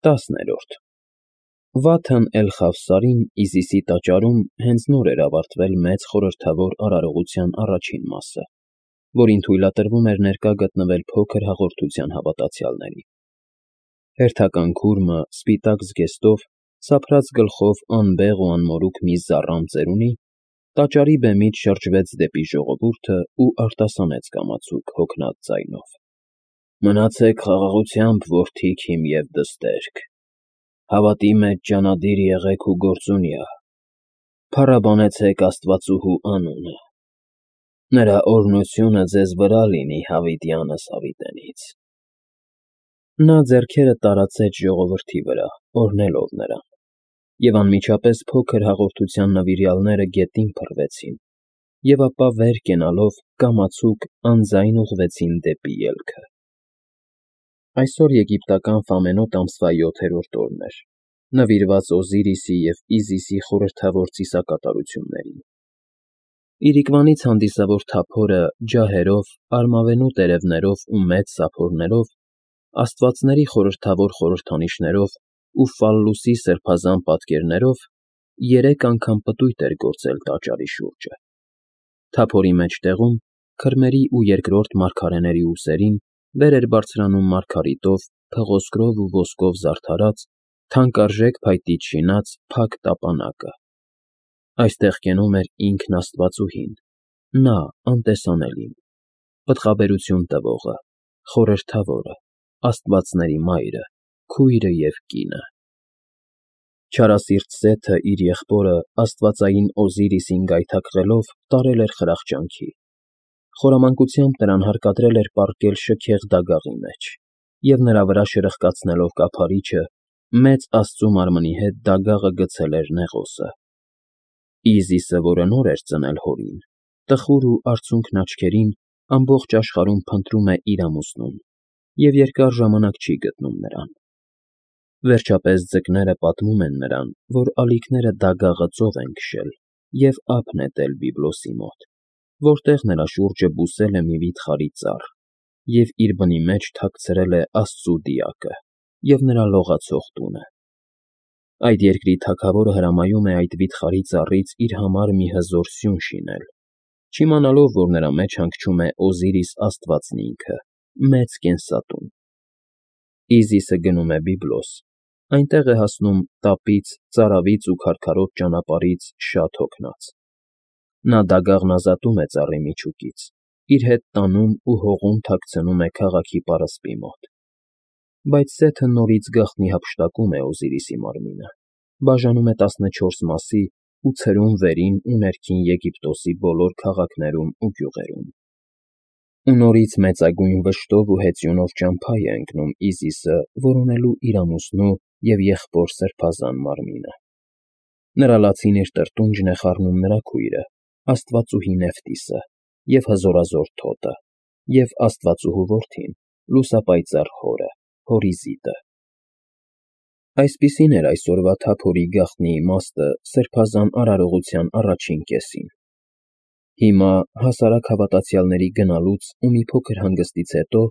10-րդ Վաթն Էլ-Խավսարին Իզիսի տաճարում հենց նոր էր ավարտվել մեծ խորհրդավոր արարողության առաջին մասը, որին թույլատրվում էր ներկա գտնվել փոքր հաղորդության հավատացյալների։ Հերթական քուրմը սպիտակ զգեստով, սափրած գլխով անբեղ ու անմորուք մի զառամ ծերունի, տաճարի բեմից շրջվեց դեպի ժողովուրդը ու արտասանեց կամացուկ հոգնած ձայնով. «Մնացեք խաղաղությամբ, որդիք իմ և դստերք, հավատի մեջ ջանադիր եղեք ու գործունյա, փառաբանեցեք աստվածուհու անունը, նրա օրհնությունը ձեզ վրա լինի հավիտյանս հավիտենից»։ Նա ձեռքերը տարածեց ժողովրդի վրա, օրհնելով նրան, և անմիջապես փոքր հաղորդության նվիրյալները գետին փռվեցին, և ապա վեր կենալով կամացուկ անձայն ուղղվեցին դեպի ելքը։ Այսօր եգիպտական Ֆամենոտ ամսվա 7-րդ օրն էր, նվիրված Օզիրիսի և Իզիսի խորհրդավոր ծիսակատարություններին։ Իրիկվանից հանդիսավոր թափորը ջահերով, արմավենու տերևներով ու մեծ սափորներով, աստվածների խորհրդավոր խորհրդանիշներով ու ֆալլուսի սրբազան պատկերներով 3 անգամ պտույտ էր գործել տաճարի շուրջը։ Թափորի մեջտեղում, քրմերի ու երկրորդ մարգարեների ուսերին, վեր էր բարձրանում մարգարիտով, փղոսկրով ու ոսկով զարդարած, թանկարժեք փայտից շինած փակ տապանակը։ Այստեղ կենում էր ինքն Աստվածուհին, նա անտեսանելին, պտղաբերություն տվողը, խորհրդավորը, աստվածների մայրը, քույրը և կինը։ Չարասիրտ Սեթը իր եղբորը աստվածային Օզիրիսին գայթակղելով տարել էր խրախճանքի, խորամանկությամբ նրան հարկադրել էր պառկել շքեղ դագաղի մեջ, և նրա վրա շրխկացնելով կափարիչը, մեծ աստծու մարմնի հետ դագաղը գցել էր նեղոսը։ Իզիսը, որը նոր էր ծնել հորին, տխուր ու արցունքն աչքերին, ամբողջ աշխարհում փնտրում է իր ամուսնուն և երկար ժամանակ չի գտնում նրան։ Վերջապես ձկները պատմում են նրան, որ ալիքները դագաղը ծով են քշել և ափ նետել Բիբլոսի մոտ, որտեղ նրա շուրջը բուսել է մի վիթխարի ծառ և իր բնի մեջ թաքցրել է Աստծու դիակը և նրա լողացող տունը։ Այդ երկրի թագավորը հրամայում է այդ վիթխարի ծառից իր համար մի հզոր սյուն շինել, չիմանալով, որ նրա մեջ հանգչում է Օզիրիս աստվածն ինքը, մեծ կենսատուն։ Իզիսը գնում է Բիբլոս, այնտեղ է հասնում տապից, ծարավից ու քարքարոտ ճանապարհից շատ հոգնած։ Նա դագաղն ազատում է ծառի միջուկից, իր հետ տանում ու հողում թաքցնում է քաղաքի պարսպի մոտ։ Բայց Սեթը նորից գաղտնի հափշտակում է Օզիրիսի մարմինը, բաժանում է 14 մասի ու ցրում վերին ու ներքին Եգիպտոսի բոլոր քաղաքներում ու գյուղերում։ Ու նորից մեծագույն վշտով ու հեծյունով ճամփա է ընկնում Իզիսը որոնելու իր ամուսնու և եղբոր սրբազան մարմինը։ Նրա լացին իր տրտունջն է խառնում նրա քույրը, աստվածուհի Նեֆտիսը, և հզորազոր Թոտը, և աստվածուհու որդին, լուսապայծառ հորը, Հորիզիտը։ Այսպիսին էր այսօրվա թափորի գաղտնի իմաստը սրբազան արարողության առաջին կեսին։ Հիմա, հասարակ հավատացյալների գնալուց ու մի փոքր հանգստից հետո,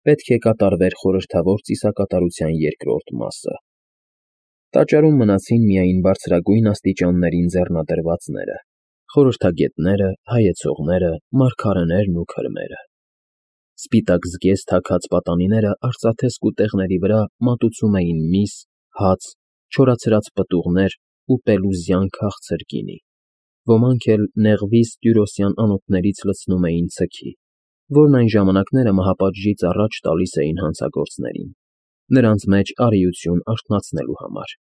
պետք է կատարվեր խորհրդավոր ծիսակատարության երկրորդ մասը։ Տաճարում մնացին միայն բարձրագույն աստիճաններին ձեռնադրվածները, խորհրդագետները, հայեցողները, մարգարեներն ու քրմերը։ Սպիտակ զգեստ հագած պատանիները արծաթե սկուտեղների վրա մատուցում էին միս, հաց, չորացրած պտուղներ ու պելուզյան քաղցր գինի, ոմանք էլ նեղվիս տյուրոսյան անոթներից լցնում էին ցքի, որն այն ժամանակները մահապատժից առաջ տալիս էին հանցագործներին, նրանց մեջ արիություն արթնացնելու համար,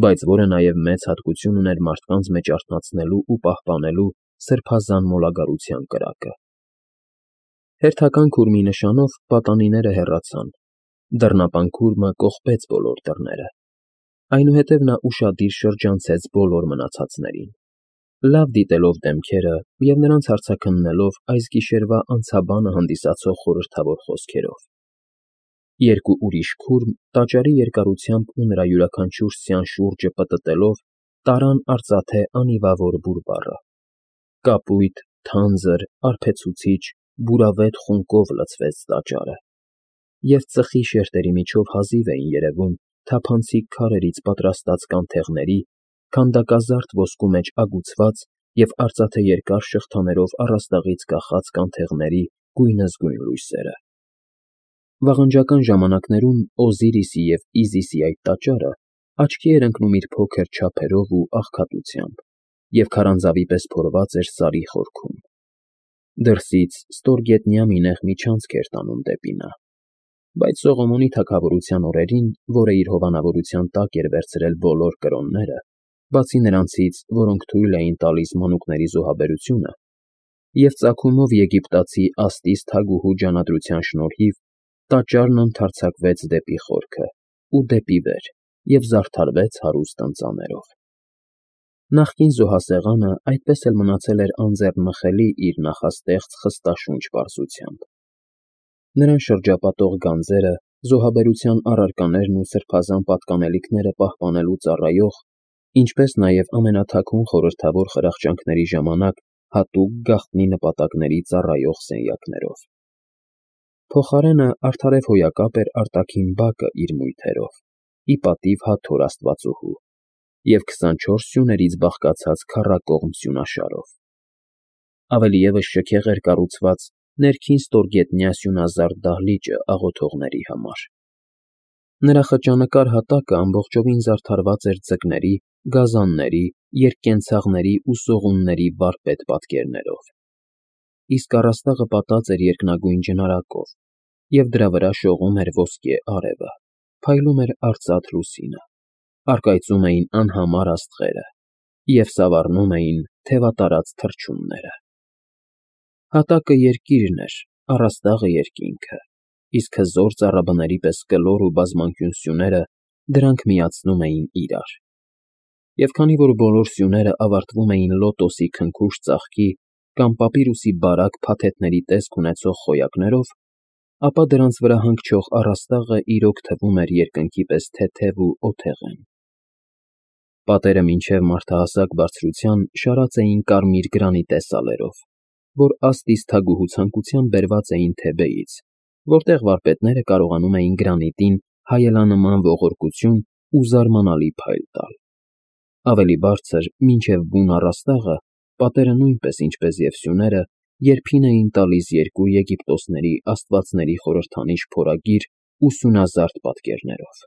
բայց որը նաև մեծ հատկություն ուներ մարդկանց մեջ արթնացնելու ու պահպանելու սրբազան մոլագարության կրակը։ Հերթական քուրմի նշանով պատանիները հեռացան, դռնապան քուրմը կողպեց բոլոր դռները, այնուհետև նա ուշադիր շրջանցեց բոլոր մնացածներին, լավ դիտելով դեմքերը և նրանց հարցաքննելով այս գիշերվա անցաբանը հանդիսացող խորհրդավոր խոսքերով։ Երկու ուրիշ քուրմ տաճարի երկարությամբ ու նրա յուրաքանչյուր սյան շուրջը պտտելով տարան արծաթե անիվավոր բուրբառը։ Կապույտ, թանձր, արբեցուցիչ, բուրավետ խունկով լցվեց տաճարը, և ծխի շերտերի միջով հազիվ էին երևում թափանցիկ քարերից պատրաստած կանթեղների, քանդակազարդ ոսկու մեջ ագուցված և արծաթե երկար շղթաներով առաստաղից կախած կանթեղների գույնզգույն լույսերը։ Վաղնջական ժամանակներում Օզիրիսի և Իզիսի այդ տաճարը աչքի էր ընկնում իր փոքր չափերով ու աղքատությամբ և քարանձավի պես փորված էր սարի խորքում։ Դրսից ստորգետնյա մի նեղ միջանցք էր տանում դեպի նա, բայց Սողոմոնի թագավորության օրերին, որը իր հովանավորության տակ էր վերցրել բոլոր կրոնները, բացի նրանցից, որոնք թույլ էին տալիս մանուկների զոհաբերությունը, և ծագումով եգիպտացի Աստիս թագուհու ջանադրության շնորհիվ, տաճարն ընդարձակվեց դեպի խորքը ու դեպի վեր և զարդարվեց հարուստ ընծաներով։ Նախկին զոհասեղանը այդպես էլ մնացել էր անձեռնմխելի իր նախաստեղծ խստաշունչ պարզությամբ։ Նրան շրջապատող գանձերը, զոհաբերության առարկաներն ու սրբազան պատկանելիքները պահպանելու ծառայող, ինչպես նաև ամենաթաքուն խորհրդավոր խրախճանքների ժամանակ հատուկ գաղտնի նպատակների ծառայող սենյակներով։ Փոխարենը արդարև հոյակապ էր արտաքին բակը իր մույթերով, ի պատիվ Հաթոր աստվածուհու, և 24 սյուներից բաղկացած քառակողմ սյունաշարով։ Ավելի ևս շքեղ էր կառուցված ներքին ստորգետնյա սյունազարդ դահլիճը աղոթողների համար։ Նրա խճանկար հատակը ամբողջովին զարդարված էր ձկների, գազանների, երկկենցաղների ու սողունների վարպետ պատկերներով, իսկ առաստաղը պատած էր երկնագույն ջնարակով, և դրա վրա շողում էր ոսկե արևը, փայլում էր արծաթ լուսինը, առկայծում էին անհամար աստղերը և սավառնում էին թևատարած թռչունները։ Հատակը երկիրն էր, առաստաղը երկինքը, իսկ հզոր ծառաբների պես կլոր ու բազմանկյուն սյուները դրանք միացնում էին իրար։ Եվ քանի որ բոլոր սյուները ավարտվում էին լոտոսի քնքուշ ծաղկի կամ պապիրուսի բարակ փաթեթների տեսք ունեցող խոյակներով, ապա դրանց վրա հանգչող առաստաղը իրոք թվում էր երկնքի պես թեթև ու օթեղեն։ Պատերը մինչև մարդահասակ բարձրության շարած էին կարմիր գրանիտե սալերով, որ Աստիս թագուհու ցանկությամբ բերված էին Թեբեից, որտեղ վարպետները կարողանում էին գրանիտին հայելանման ողորկություն ու զարմանալի փայլ տալ։ Ավելի բարձր, մինչև բուն առաստաղը, պատերը նույնպես, ինչպես և սյուները, երփին էին տալիս երկու Եգիպտոսների աստվածների խորհրդանիշ փորագիր ու սյունազարդ պատկերներով։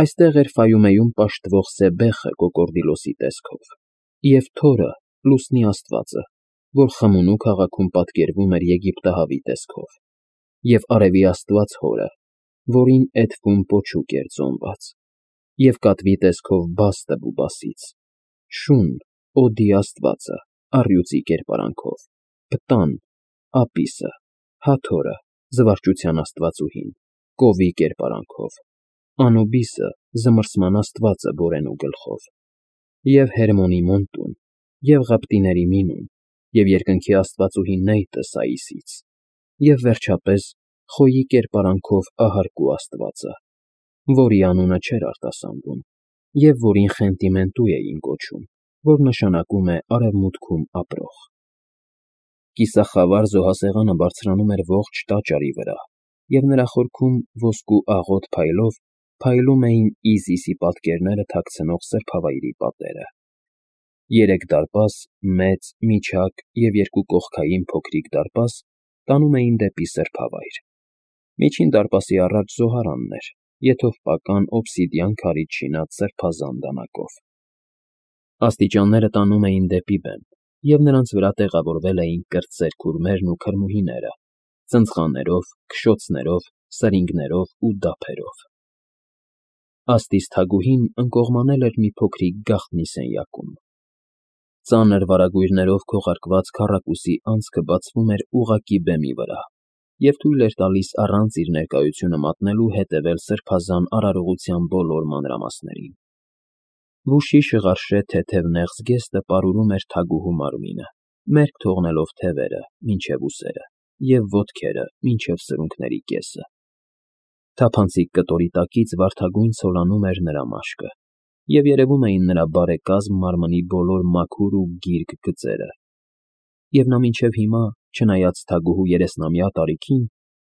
Այստեղ էր Ֆայումեում պաշտվող Սեբեխը կոկորդիլոսի տեսքով, և Թորը, լուսնի աստվածը, որ Խմունու քաղաքում պատկերվում էր եգիպտահավի տեսքով, և արևի աստված Հորը, որին Էդֆում պոչուկ էր ծոնված, և կատվի տեսքով Բաստը Բուբասից, Շուն, Օդի աստվածը, առյուծի կերպարանքով, Պտան, Ապիսը, Հաթորը, զվարճության աստվածուհին, կովի կերպարանքով, Անուբիսը, զմռսման աստվածը Բորենու գլխով, և Հերմոնի Մոնտուն, և ղպտիների Մինուն, և երկնքի աստվածուհի Նեյտը Սաիսից, և վերջապես Խոյի կերպարանքով Ահարկու աստվածը, որի անունը չէր արտասանվում, և որին Խենտիմենտու էին կոչում, որ նշանակում է արևմուտքում ապրող։ Կիսախավար զոհասեղանը բարձրանում էր ողջ տաճարի վրա, և նրա խորքում ոսկու աղոտ փայլով փայլում էին Իզիսի պատկերները թաքցնող սրբավայրի պատերը։ Երեք դարպաս, մեծ, միջակ և երկու կողքային փոքրիկ դարպաս տանում էին դեպի սրբավայր։ Միջին դարպասի առաջ զոհարանն էր, եթովպական օբսիդիան քարից շինած սրբազան դանակով։ Աստիճանները տանում էին դեպի բեմ, և նրանց վրա տեղավորվել էին կրտսեր քուրմերն ու քրմուհիները, ծնծղաներով, քշոցներով, սրինգներով ու դափերով։ Աստիս թագուհին ընկողմանել էր մի փոքրիկ գաղտնի սենյակում։ Ծանր վարագույրներով քողարկված քառակուսի անցքը բացվում էր ուղղակի բեմի վրա և թույլ էր տալիս առանց իր ներկայությունը մատնելու հետևել սրբազան արարողության բոլոր մանրամասներին։ Վուշի շղարշե թեթև նեղ զգեստը պարուրում էր թագուհու մարմինը, մերկ թողնելով թևերը մինչև ուսերը և ոտքերը մինչև սրունքների կեսը։ Թափանցիկ կտորի տակից վարդագույն ցոլանում էր նրա մաշկը, և երևում էին նրա բարեկազմ մարմնի բոլոր մաքուր ու գիրկ գծերը, և նա մինչև հիմա, չնայած թագուհու 30-ամյա տարիքին,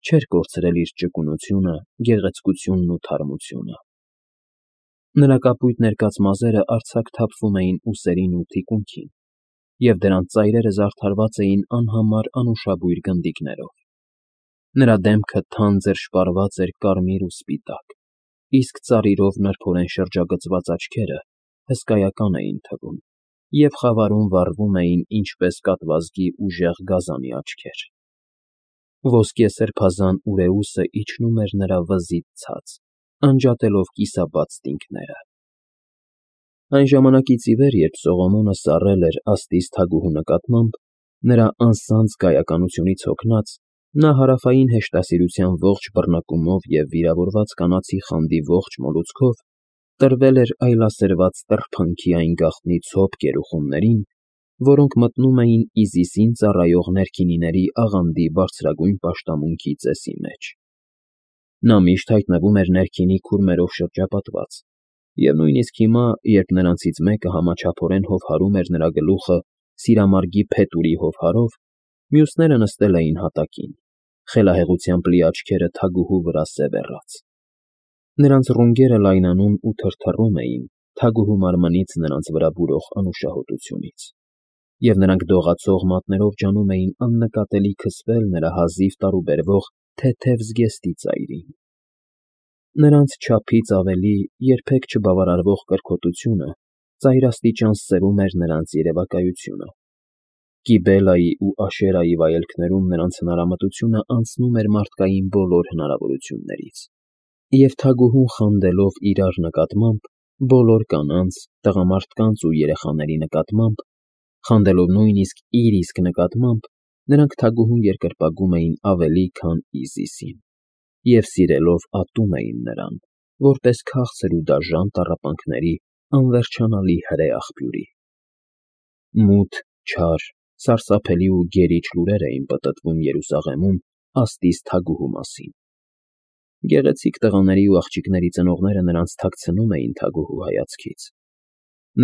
չէր կորցրել իր ճկունությունը, գեղեցկությունն ու թարմությունը։ Նրա կապույտ ներկած մազերը արձակ թափվում էին ուսերին ու թիկունքին, և դրանց ծայրերը զարդարված էին անհամար անուշաբույր գնդիկներով։ Նրա դեմքը թանձր շպարված էր կարմիր ու սպիտակ, իսկ ծառիրով նրբորեն շրջագծված աչքերը հսկայական էին թվում և խավարում վառվում էին ինչպես կատվազգի ուժեղ գազանի աչքեր։ Ոսկե սրբազան ուրեուսը իջնում էր նրա վզից ցած, անջատելով կիսաբաց տինքները։ Այն ժամանակից ի վեր, երբ Սողոմոնը սառել էր աստծի թագուհու նկատմամբ, նրա անսանձ կայականությունից հոգնած, նա հարավային հեշտասիրության ողջ բռնկումով և վիրավորված կանացի խանդի ողջ մոլուցքով տրվել էր այլասերված տրփանքի այն գաղտնի ցոփ գերուխումներին, որոնք մտնում էին Իզիսին ծառայող ներքինիների աղանդի բարձրագույն պաշտամունքի ծեսի մեջ։ Նա միշտ հայտնվում էր ներքինի քուրմերով շրջապատված, և նույնիսկ հիմա, երբ նրանցից մեկը համաչափորեն հովհարում էր նրա գլուխը սիրամարգի փետուրի հովհարով, մյուսները նստել էին հատակին, խելահեղությամբ լի աչքերը թագուհու վրա սևեռած։ Նրանց ռունգերը լայնանում ու թրթռում էին թագուհու մարմնից նրանց վրա բուրող անուշահոտությունից, և նրանք դողացող մատներով ջանում էին աննկատելի քսվել նրա հազիվ տարուբերվող թեթև զգեստի ծայրին։ Նրանց չափից ավելի երբեք չբավարարվող կրքոտությունը ծայրաստիճան սրում էր նրանց երևակայությունը։ Կիբելայի ու Աշերայի վայելքներում նրանց հնարամտությունը անցնում էր մարդկային բոլոր հնարավորություններից, և թագուհուն խանդելով իրար նկատմամբ, բոլոր կանանց, տղամարդկանց ու երեխաների նկատմամբ, խանդելով նույնիսկ իր իսկ նկատմամբ, նրանք թագուհուն երկրպագում էին ավելի, քան Իզիսին, և սիրելով ատում էին նրան, որպես քաղցր ու դաժան տառապանքների անվերջանալի հրե աղբյուրի։ Մութ, չար, սարսափելի ու գերիչ լուրեր էին պտտվում Երուսաղեմում աստծի թագուհու մասին։ Գեղեցիկ տղաների ու աղջիկների ծնողները նրանց թաքցնում էին թագուհու հայացքից։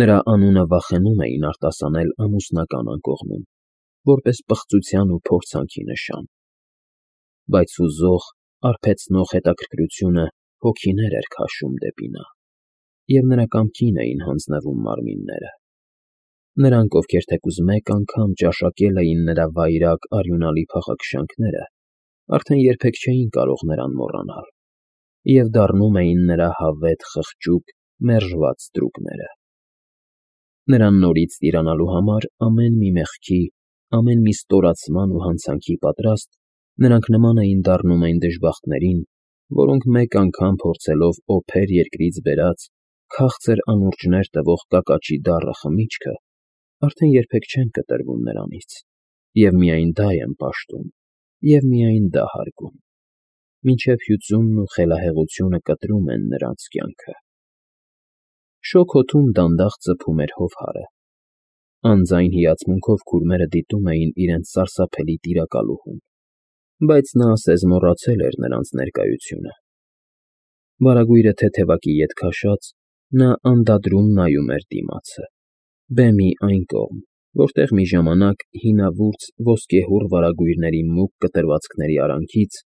Նրա անունը վախենում էին արտասանել ամուսնական անկողնում, որպես պղծության ու փորձանքի նշան։ Բայց հուզող, արբեցնող հետաքրքրությունը հոգիներ էր քաշում դեպի նա, և նրա կամքին էին հանձնվում մարմինները։ Նրանք, ովքեր թեկուզ մեկ անգամ ճաշակել էին նրա վայրագ արյունալի փախաքշանքները, արդեն երբեք չէին կարող նրան մոռանալ և դառնում էին նրա հավետ խղճուկ, մերժված ստրուկները։ Նրան նորից տիրանալու համար ամեն մի մեղքի, ամեն մի ստորացման ու հանցանքի պատրաստ, նրանք նման էին դառնում այն դժբախտներին, որոնք մեկ անգամ փորձելով օփեր երկրից բերած, քաղցր անուրջներ տվող կակաճի դառը խմիչքը, արդեն երբեք չեն կտրվում նրանից, և միայն դա են պաշտում, և միայն դա հարգում, մինչև հյուծումն ու խելահեղությունը կտրում են նրանց կյանքը։ Շոգ հոթում դանդաղ ծփում էր հովհարը։ Անձայն հիացմունքով քուրմերը դիտում էին իրենց սարսափելի տիրակալուհուն, բայց նա ասես մոռացել էր նրանց ներկայությունը։ Վարագույրը թեթևակի ետ քաշած, նա անդադրում նայում էր դիմացը, բեմի այն կողմ, որտեղ մի ժամանակ հինավուրց ոսկեհոռ վարագույրների մուգ կտրվածքների արանքից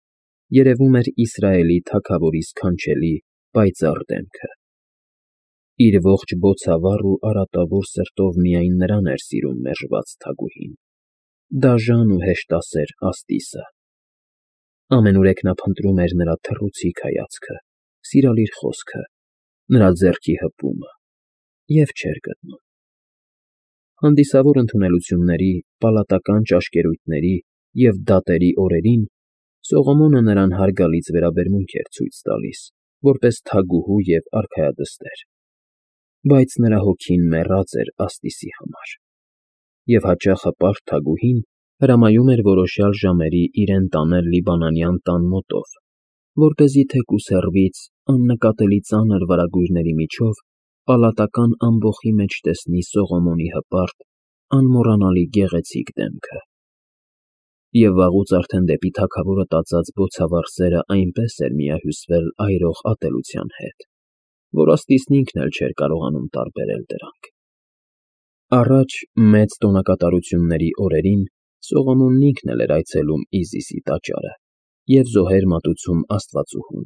երևում էր Իսրայելի թագավորի սքանչելի, պայծառ դեմքը։ Իր ողջ բոցավառ ու արատավոր սրտով միայն նրան էր սիրում մերժված թագուհին, դաժան ու հեշտասեր Աստիսը։ Ամենուրեք նա փնտրում էր նրա թռուցիկ հայացքը, սիրալիր խոսքը, նրա ձեռքի հպումը, և չէր գտնում։ Հանդիսավոր ընդունելությունների, պալատական ճաշկերույթների և դատերի օրերին Սողոմոնը նրան հարգալից վերաբերմունք էր ցույց տալիս, որպես թագուհու և արքայադստեր, բայց նրա հոգին մեռած էր Աստիսի համար, և հաճախ հպարտ թագուհին հրամայում էր որոշյալ ժամերի իրեն տանել լիբանանյան տան մոտով, որպեսզի թեկուզ հեռվից աննկատելի ծանր վարագույրների միջով պալատական ամբոխի մեջ տեսնի Սողոմոնի հպարտ, անմոռանալի գեղեցիկ դեմքը։ Եվ վաղուց արդեն դեպի թագավորը տածած բոցավառ սերը այնպես էր միահյուսվել այրող ատելության հետ, որ Աստիսն ինքն էլ չէր կարողանում տարբերել դրանք։ Առաջ մեծ տոնակատարությունների օրերին Սողոմոնն ինքն էլ էր այցելում Իզիսի տաճարը և զոհեր մատուցում աստվածուհուն,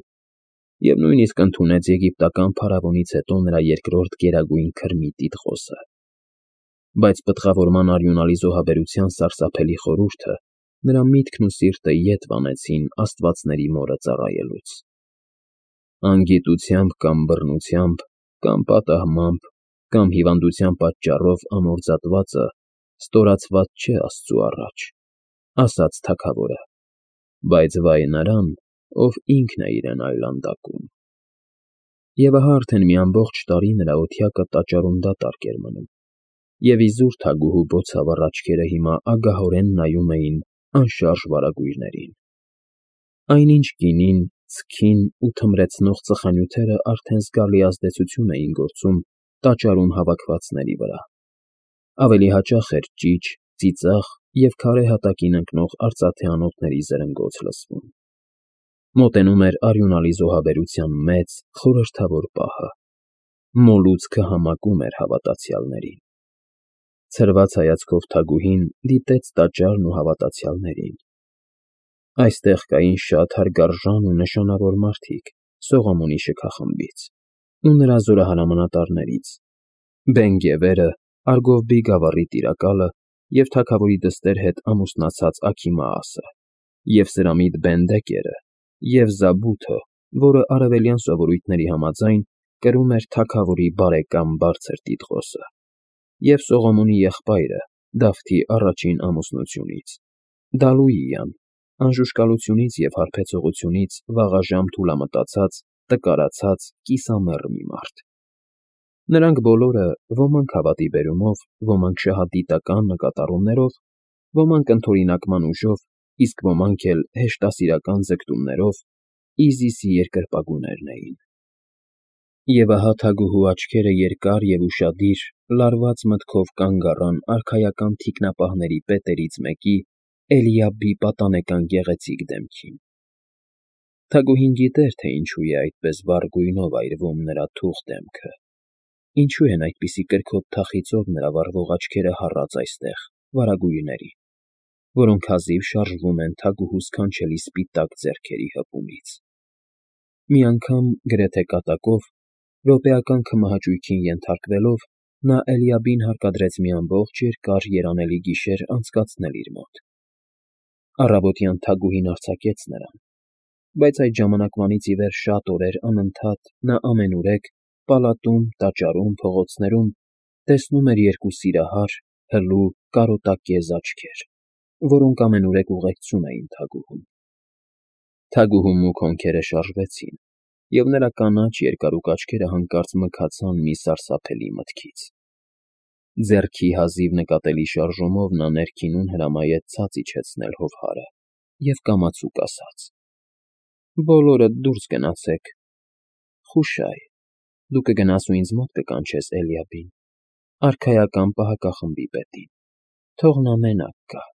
և նույնիսկ ընդունեց եգիպտական փարավոնից հետո նրա երկրորդ գերագույն քրմի տիտղոսը։ Բայց պտղավորման արյունալի զոհաբերության սարսափելի խորհուրդը նրա միտքն ու սիրտը ետ վանեցին աստվածների մորը ծառայելուց։ Անգիտությամբ կամ բռնությամբ, կամ պատահմամբ, կամ հիվանդության պատճառով ամորձատվածը ստորացված չէ Աստծու առաջ, ասաց թագավորը, բայց վայ նրան, ով ինքն է իրեն այլանդակում։ Եվ ահա արդեն մի ամբողջ տարի նրա օթյակը տաճարում դատարկ էր մնում, և իզուր թագուհու բոցավառ աչքերը հիմա ագահորեն նայում էին անշարժ վարագույրներին։ Այնինչ գինին, ցքին ու թմրեցնող ծխանյութերը արդեն զգալի ազդեցություն էին գործում տաճարում հավաքվածների վրա։ Ավելի հաճախ էր ճիչ, ծիծաղ և քարե հատակին ընկնող արծաթե անոթների զրնգոց լսվում։ Մոտենում էր արյունալի զոհաբերության մեծ, խորհրդավոր պահը։ Մոլուցքը համակում էր հավատացյալներին։ Ցրված հայացքով թագուհին դիտեց տաճարն ու հավատացյալներին։ Այստեղ կային շատ հարգարժան ու նշանավոր մարդիկ Սողոմոնի շքախմբից ու նրա զորահրամանատարներից. Բեն֊Գևերը, Արգովբի գավառի տիրակալը և թագավորի դստեր հետ ամուսնացած Աքիմաասը, և Սրամիտ Բեն֊Դեկերը, և Զաբութը, որը արևելյան սովորույթների համաձայն կրում էր թագավորի բարեկամ բարձր տիտղոսը, և Սողոմոնի եղբայրը Դավթի առաջին ամուսնությունից, Դալուիան, անժուշկալությունից և հարբեցողությունից վաղաժամ թուլամտածած, տկարացած, կիսամեռ մի մարդ։ Նրանք բոլորը, ոմանք հավատի բերումով, ոմանք շահադիտական նկատառումներով, ոմանք ընդօրինակման ուժով, իսկ ոմանք էլ հեշտասիրական ձգտումներով Իզիսի երկրպագուներն էին։ Եվ ահա թագուհու աչքերը երկար և ուշադիր, լարված մտքով կանգ առան արքայական թիկնապահների պետերից մեկի՝ Էլիաբի պատանեկան գեղեցիկ դեմքին։ Թագուհին գիտեր, թե ինչու է այդպես վառ գույնով այրվում նրա թուղ դեմքը, ինչու են այդպիսի կրքոտ թախիծով նրա վառվող աչքերը հառած այստեղ, վարագույրների, որոնք հազիվ շարժվում են թագուհու սքանչելի սպիտակ ձեռքերի հպումից։ Մի անգամ, գրեթե կատակով, րոպեական քմահաճույքին ենթարկվելով, նա Էլիաբին հարկադրեց մի ամբողջ երկար երանելի գիշեր անցկացնել իր մոտ։ Առավոտյան թագուհին արձակեց նրան, բայց այդ ժամանակվանից ի վեր շատ օրեր անընդհատ նա ամենուրեք պալատում, տաճարում, փողոցներում տեսնում էր երկու սիրահար, հլու, կարոտակեզ աչքեր, որոնք ամենուրեք ուղեկցում էին թագուհուն։ Թագուհու մուգ հոնքերը շարժվեցին, և նրա կանաչ երկարուկ աչքերը հանկարծ մքացան մի սարսափելի մտքից։ Ձեռքի հազիվ նկատելի շարժումով նա ներքինուն հրամայեց ցած իջեցնել հովհարը և կամացուկ ասաց. «Բոլորդ դուրս գնացեք, Խուշայ, դու կգնաս ու ինձ մոտ կկանչես Էլիաբին, արքայական պահակախմբի պետին, թող նա մենակ գա»։